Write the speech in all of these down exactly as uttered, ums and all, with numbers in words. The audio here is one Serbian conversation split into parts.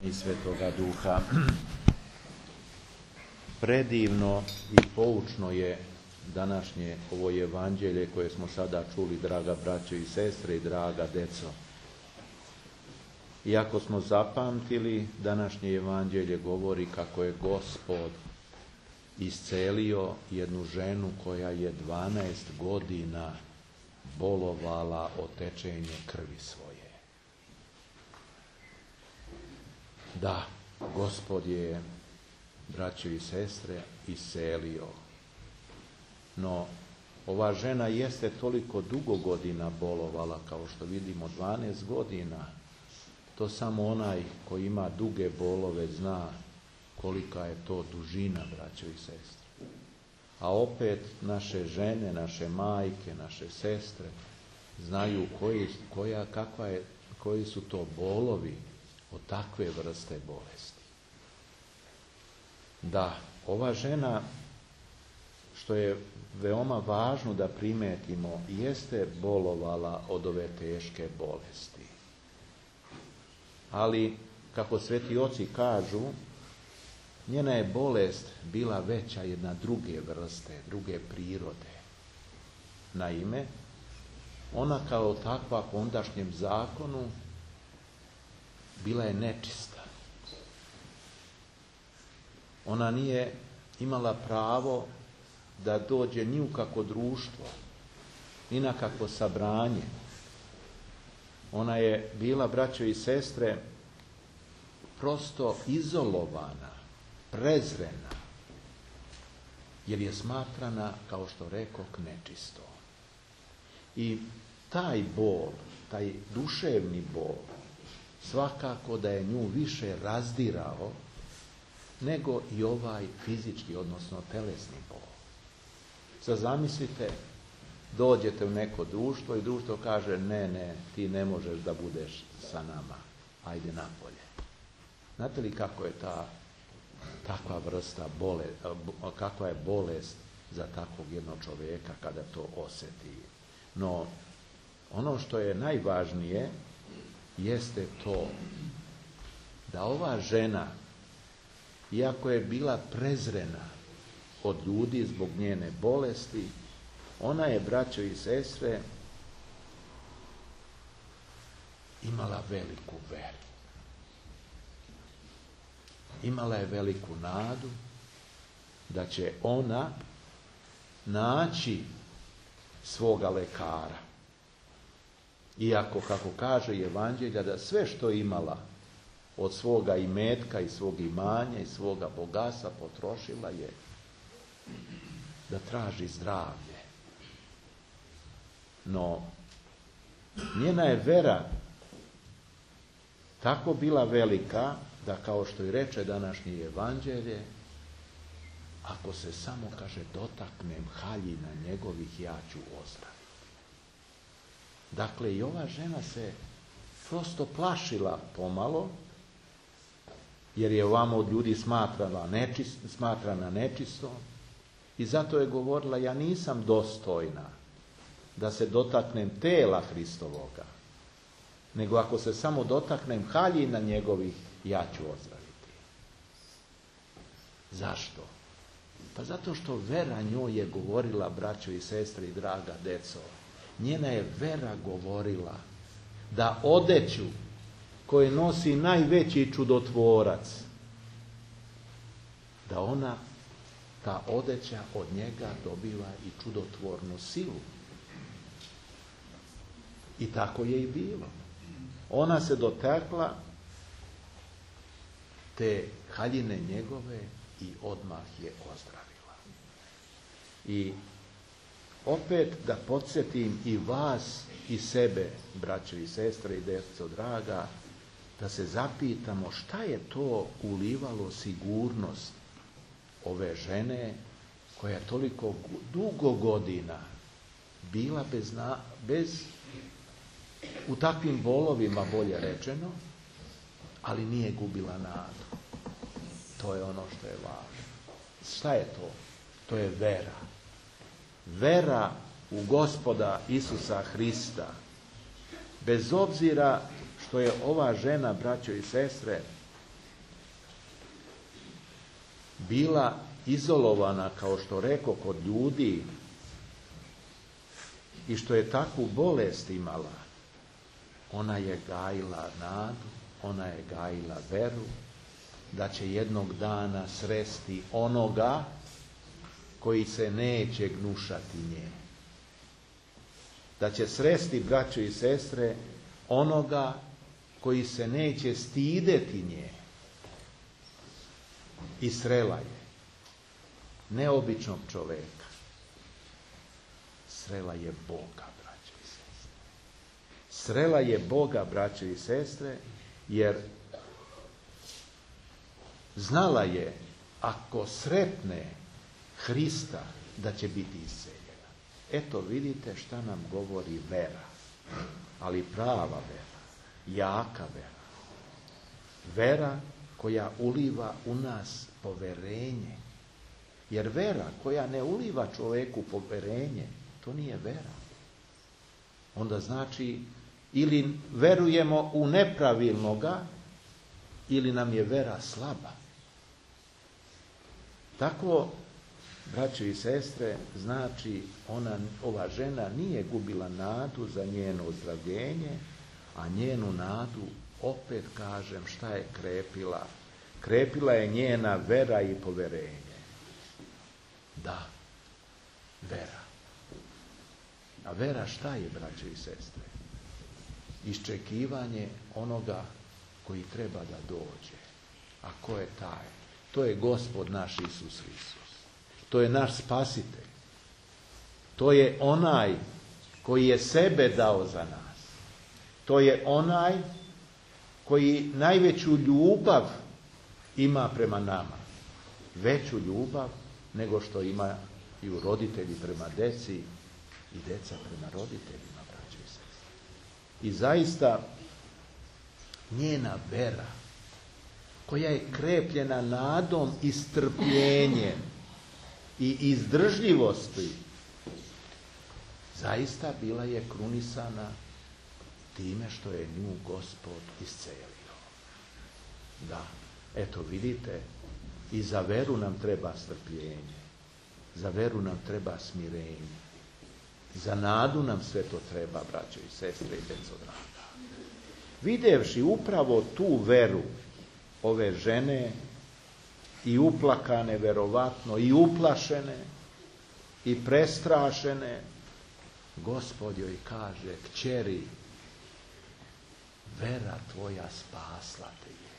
i Svetoga Duha. Predivno i poučno je današnje ovo evanđelje koje smo sada čuli, draga braćo i sestre i draga deco. Iako smo zapamtili, današnje evanđelje govori kako je Gospod iscelio jednu ženu koja je dvanaest godina bolovala od tečenja krvi svoje. Da, Gospod je, braćo i sestre, iscelio. No, ova žena jeste toliko dugo godina bolovala, kao što vidimo, dvanaest godina. To samo onaj koji ima duge bolove zna kolika je to dužina, braćo i sestre. A opet naše žene, naše majke, naše sestre znaju koji, koja, kakva je, koji su to bolovi od takve vrste bolesti. Da, ova žena, što je veoma važno da primetimo, jeste bolovala od ove teške bolesti. Ali, kako sveti oci kažu, njena je bolest bila veća jedna druge vrste, druge prirode. Naime, ona kao takva po ondašnjem zakonu bila je nečista. Ona nije imala pravo da dođe ni u kakvo društvo, ni na kakvo sabranje. Ona je bila, braćo i sestre, prosto izolovana, prezrena, jer je smatrana, kao što rekoh, nečisto. I taj bol, taj duševni bol, svakako da je nju više razdirao nego i ovaj fizički, odnosno telesni bol. Sad zamislite, dođete u neko društvo i društvo kaže ne, ne, ti ne možeš da budeš sa nama, ajde napolje. Znate li kako je ta takva vrsta bole, kakva je bolest za takvog jednog čovjeka kada to osjeti? No, ono što je najvažnije jeste to da ova žena, iako je bila prezrena od ljudi zbog njene bolesti, ona je, braćo i sestre, imala veliku veru. Imala je veliku nadu da će ona naći svoga lekara. Iako, kako kaže evanđelja, da sve što imala od svoga imetka i svog imanja i svoga bogatstva potrošila je da traži zdravlje. No, njena je vera tako bila velika da, kao što i reče današnje evanđelje, ako se samo, kaže, dotaknem haljina njegovih, ja ću ozdraviti. Dakle, i ova žena se prosto plašila pomalo, jer je ovamo od ljudi smatrala nečist, smatrana nečisto, i zato je govorila, ja nisam dostojna da se dotaknem tela Hristovoga, nego ako se samo dotaknem haljina njegovih, ja ću ozdraviti. Zašto? Pa zato što vera njoj je govorila, braćo i sestre i draga deco, njena je vera govorila da odeću koje nosi najveći čudotvorac, da ona, ta odeća od njega dobiva i čudotvornu silu. I tako je i bilo. Ona se dotakla te haljine njegove i odmah je ozdravila. I opet da podsjetim i vas i sebe, braćo i sestre i deco draga, da se zapitamo šta je to ulivalo sigurnost ove žene koja je toliko dugo godina bila bez, na, bez u takvim bolovima, bolje rečeno, ali nije gubila nadu. To je ono što je važno. Šta je to? To je vera. Vera u Gospoda Isusa Hrista. Bez obzira što je ova žena, braćo i sestre, bila izolovana, kao što rekao, kod ljudi i što je takvu bolest imala, ona je gajila nadu, ona je gajila veru da će jednog dana sresti onoga koji se neće gnušati nje. Da će sresti, braćo i sestre, onoga koji se neće stideti nje. I srela je neobičnog čoveka. Srela je Boga, braćo i sestre. Srela je Boga, braćo i sestre, jer znala je, ako sretne Hrista, da će biti isceljena. Eto, vidite šta nam govori vera. Ali prava vera, jaka vera. Vera koja uliva u nas poverenje. Jer vera koja ne uliva čovjeku poverenje, to nije vera. Onda znači, ili verujemo u nepravilnoga, ili nam je vera slaba. Tako, braćo i sestre, znači ona, ova žena nije gubila nadu za njeno ozdravljenje, a njenu nadu, opet kažem, šta je krepila? Krepila je njena vera i poverenje. Da, vera. A vera šta je, braćo i sestre? Iščekivanje onoga koji treba da dođe. A ko je taj? To je Gospod naš Isus Hristos. To je naš spasitelj. To je onaj koji je sebe dao za nas. To je onaj koji najveću ljubav ima prema nama. Veću ljubav nego što imaju roditelji prema deci i deca prema roditeljima, braćo i sestre. I zaista njena vera, koja je krepljena nadom i strpljenjem i izdržljivosti, zaista bila je krunisana time što je nju Gospod iscelio. Da, eto vidite, i za veru nam treba strpljenje, za veru nam treba smirenje, za nadu nam sve to treba, braćo i sestre i deco draga. Videvši upravo tu veru ove žene, i uplakane verovatno, i uplašene, i prestrašene, Gospod joj kaže: kćeri, vera tvoja spasla te je.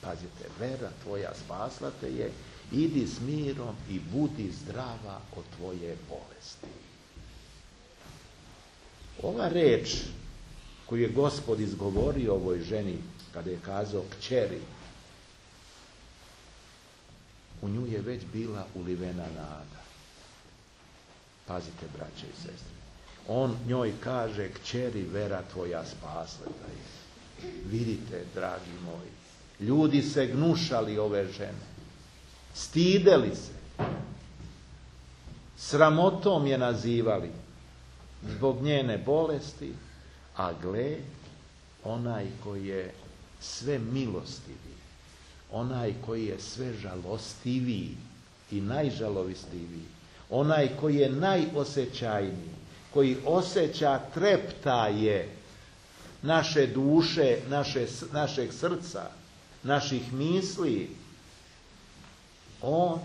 Pazite, vera tvoja spasla te je, idi s mirom i budi zdrava od tvoje bolesti. Ova reč koju je Gospod izgovorio ovoj ženi kada je kazao kćeri, u nju je već bila ulivena nada. Pazite, braće i sestre. On njoj kaže: kćeri, vera tvoja spasla te je. Vidite, dragi moji, ljudi se gnušali ove žene. Stideli se. Sramotom je nazivali zbog njene bolesti, a gle, onaj koji je sve milostivi, onaj koji je sve žalostiviji i najžalovistiviji, onaj koji je najosjećajniji, koji osjeća treptaje naše duše, naše, našeg srca, naših misli, on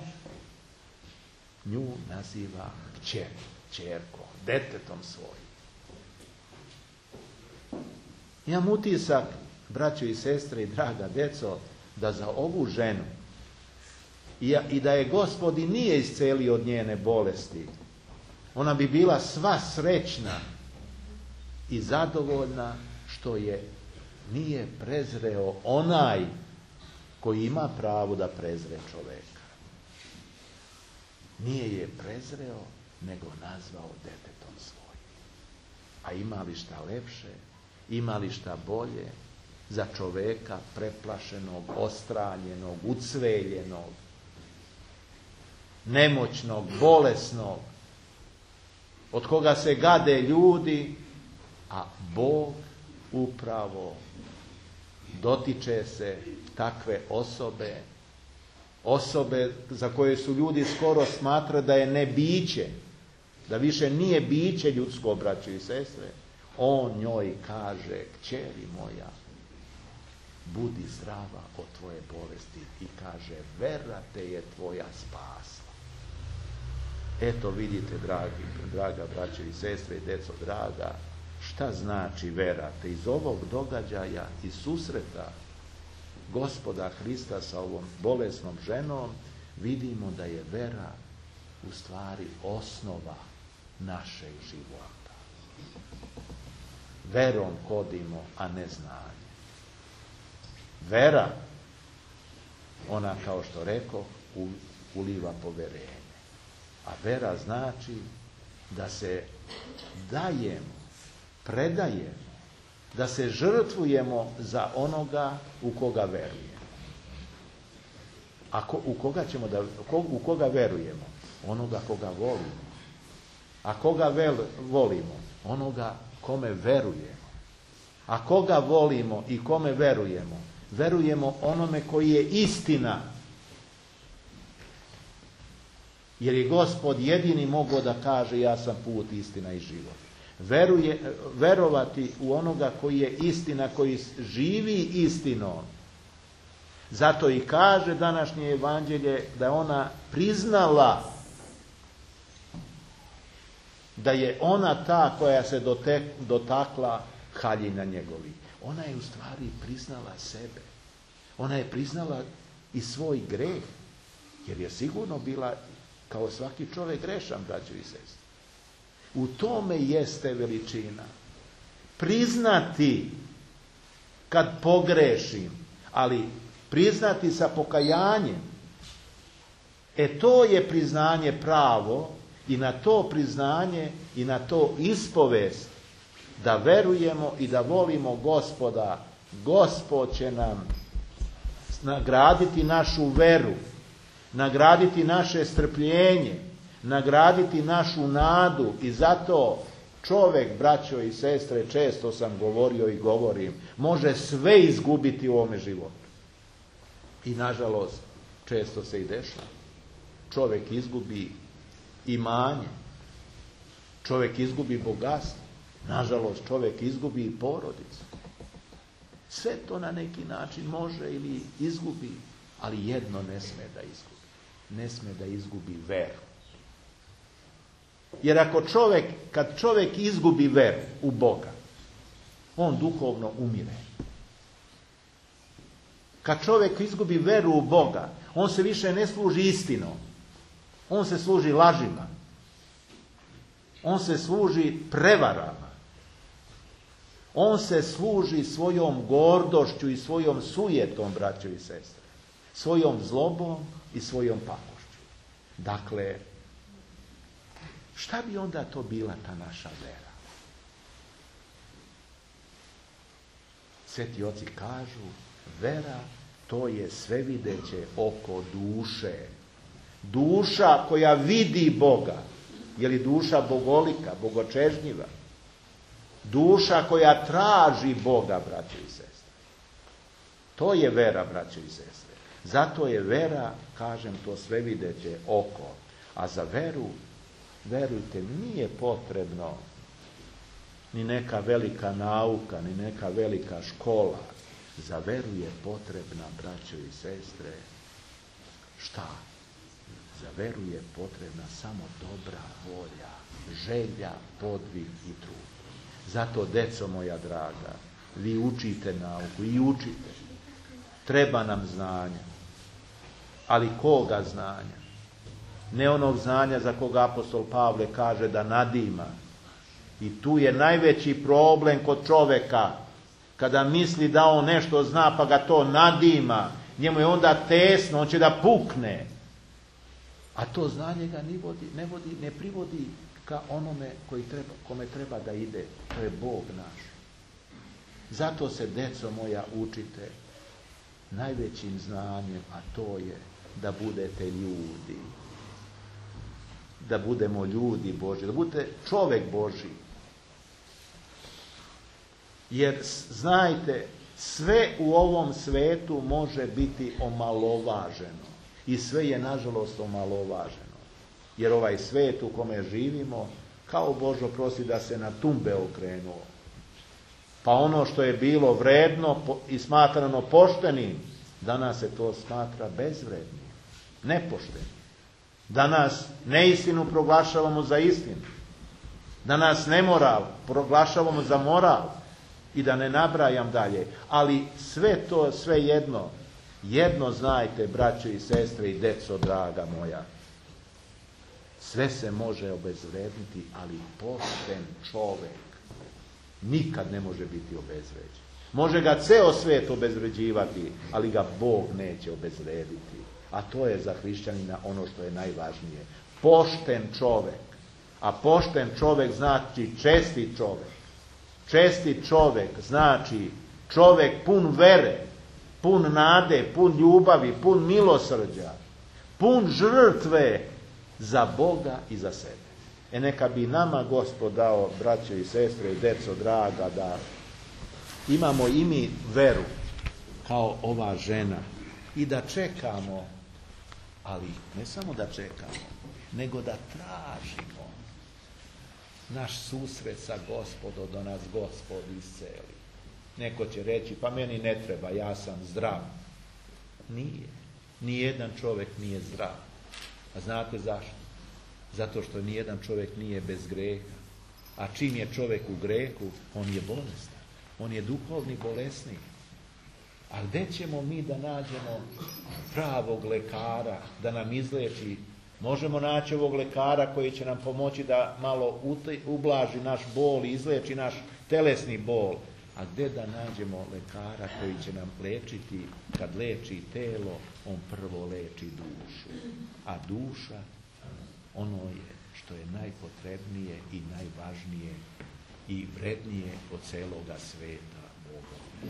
nju naziva kćer, kćerkom, detetom svojim. Imam utisak, braćo i sestre i draga deco, da za ovu ženu i, i da je Gospod i nije iscelio od njene bolesti, ona bi bila sva srećna i zadovoljna što je nije prezreo onaj koji ima pravo da prezre čoveka. Nije je prezreo, nego nazvao detetom svojim. A ima li šta lepše, ima li šta bolje za čoveka preplašenog, ostranjenog, ucveljenog, nemoćnog, bolesnog, od koga se gade ljudi, a Bog upravo dotiče se takve osobe osobe za koje su ljudi skoro smatrali da je ne biće, da više nije biće ljudsko, braćo i sestre, on njoj kaže: kćeri moja, budi zdrava od tvoje bolesti, i kaže: vera te je tvoja spasla. Eto vidite, dragi, draga braćo i sestre i deco draga, šta znači vera. Te iz ovog događaja i susreta Gospoda Hrista sa ovom bolesnom ženom vidimo da je vera u stvari osnova našeg života. Verom hodimo, a ne znanje. Vera, ona, kao što rekao, uliva poverenje. A vera znači da se dajemo, predajemo, da se žrtvujemo za onoga u koga verujemo. A ko, u koga ćemo da, u koga verujemo? Onoga koga volimo. A koga vel, volimo? Onoga kome verujemo. A koga volimo i kome verujemo? Verujemo onome koji je istina. Jer je Gospod jedini mogao da kaže: ja sam put, istina i život. Veruje, verovati u onoga koji je istina, koji živi istinom. Zato i kaže današnje evanđelje da je ona priznala da je ona ta koja se dotek, dotakla haljina njegovi. Ona je u stvari priznala sebe. Ona je priznala i svoj greh, jer je sigurno bila kao svaki čovjek grešan, braćo i sestre. U tome jeste veličina. Priznati kad pogrešim, ali priznati sa pokajanjem. E to je priznanje pravo, i na to priznanje i na to ispovest da verujemo i da volimo Gospoda. Gospod će nam nagraditi našu veru, nagraditi naše strpljenje, nagraditi našu nadu. I zato čovjek, braćo i sestre, često sam govorio i govorim, može sve izgubiti u ovome životu. I nažalost, često se i dešava. Čovjek izgubi imanje, čovjek izgubi bogatstvo, nažalost čovjek izgubi i porodicu. Sve to na neki način može ili izgubi, ali jedno ne sme da izgubi. Ne sme da izgubi veru. Jer ako čovjek, kad čovjek izgubi veru u Boga, on duhovno umire. Kad čovjek izgubi veru u Boga, on se više ne služi istinom. On se služi lažima. On se služi prevarama. On se služi svojom gordošću i svojom sujetom, braćo i sestre. Svojom zlobom i svojom pakošću. Dakle, šta bi onda to bila ta naša vera? Sveti oci kažu, vera to je svevideće oko duše. Duša koja vidi Boga, je li duša bogolika, bogočežnjiva? Duša koja traži Boga, braćo i sestre. To je vera, braćo i sestre. Zato je vera, kažem, to svevideće oko. A za veru, verujte, nije potrebno ni neka velika nauka, ni neka velika škola. Za veru je potrebna, braćo i sestre, šta? Za veru je potrebna samo dobra volja, želja, podvig i trud. Zato, deco moja draga, vi učite nauku i učite. Treba nam znanja. Ali koga znanja? Ne onog znanja za koga apostol Pavle kaže da nadima. I tu je najveći problem kod čoveka. Kada misli da on nešto zna pa ga to nadima, njemu je onda tesno, on će da pukne. A to znanje ga ne vodi, ne vodi, ne privodi ka onome koji treba, kome treba da ide. To je Bog naš. Zato se, deco moja, učite najvećim znanjem, a to je da budete ljudi. Da budemo ljudi Božji, da budete čovjek Božji. Jer, znajte, sve u ovom svetu može biti omalovaženo. I sve je nažalost omalovaženo. Jer ovaj svijet u kome živimo, kao Božo prosi da se na tumbe okrenuo. Pa ono što je bilo vredno i smatrano poštenim, danas se to smatra bezvrednim, nepoštenim. Danas neistinu proglašavamo za istinu. Danas nemoral proglašavamo za moral. I da ne nabrajam dalje. Ali sve to, sve jedno, jedno znajte, braćo i sestre i deco draga moja. Sve se može obezvredniti, ali pošten čovjek nikad ne može biti obezvređen. Može ga ceo svijet obezvređivati, ali ga Bog neće obezvrediti. A to je za hrišćanina ono što je najvažnije. Pošten čovjek. A pošten čovjek znači čestit čovjek. Čestit čovjek znači čovjek pun vere, pun nade, pun ljubavi, pun milosrđa, pun žrtve za Boga i za sebe. E neka bi nama Gospod dao, braćo i sestre i deco draga, da imamo i mi veru kao ova žena i da čekamo, ali ne samo da čekamo, nego da tražimo naš susret sa Gospodom, da nas Gospod isceli. Neko će reći, pa meni ne treba, ja sam zdrav. Nije. Nijedan čovjek nije zdrav. A znate zašto? Zato što nijedan čovjek nije bez greha. A čim je čovjek u grehu, on je bolestan. On je duhovni bolesnik. A gdje ćemo mi da nađemo pravog lekara, da nam izleči? Možemo naći ovog lekara koji će nam pomoći da malo ublaži naš bol i izleči naš telesni bol. A gdje da nađemo lekara koji će nam lečiti? Kad leči telo, on prvo leči dušu. A duša, ono je što je najpotrebnije i najvažnije i vrednije od celoga sveta Boga.